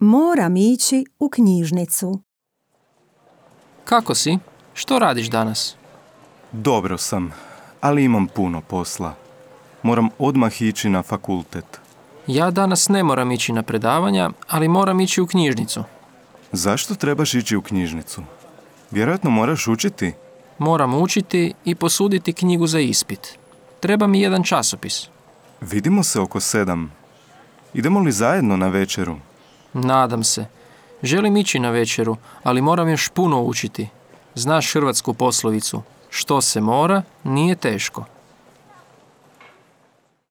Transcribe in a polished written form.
Moram ići u knjižnicu. Kako si? Što radiš danas? Dobro sam, ali imam puno posla. Moram odmah ići na fakultet. Ja danas ne moram ići na predavanja, ali moram ići u knjižnicu. Zašto trebaš ići u knjižnicu? Vjerojatno moraš učiti. Moram učiti i posuditi knjigu za ispit. Treba mi jedan časopis. Vidimo se oko 7. Idemo li zajedno na večeru? Nadam se. Želim ići na večeru, ali moram još puno učiti. Znaš hrvatsku poslovicu. Što se mora, nije teško.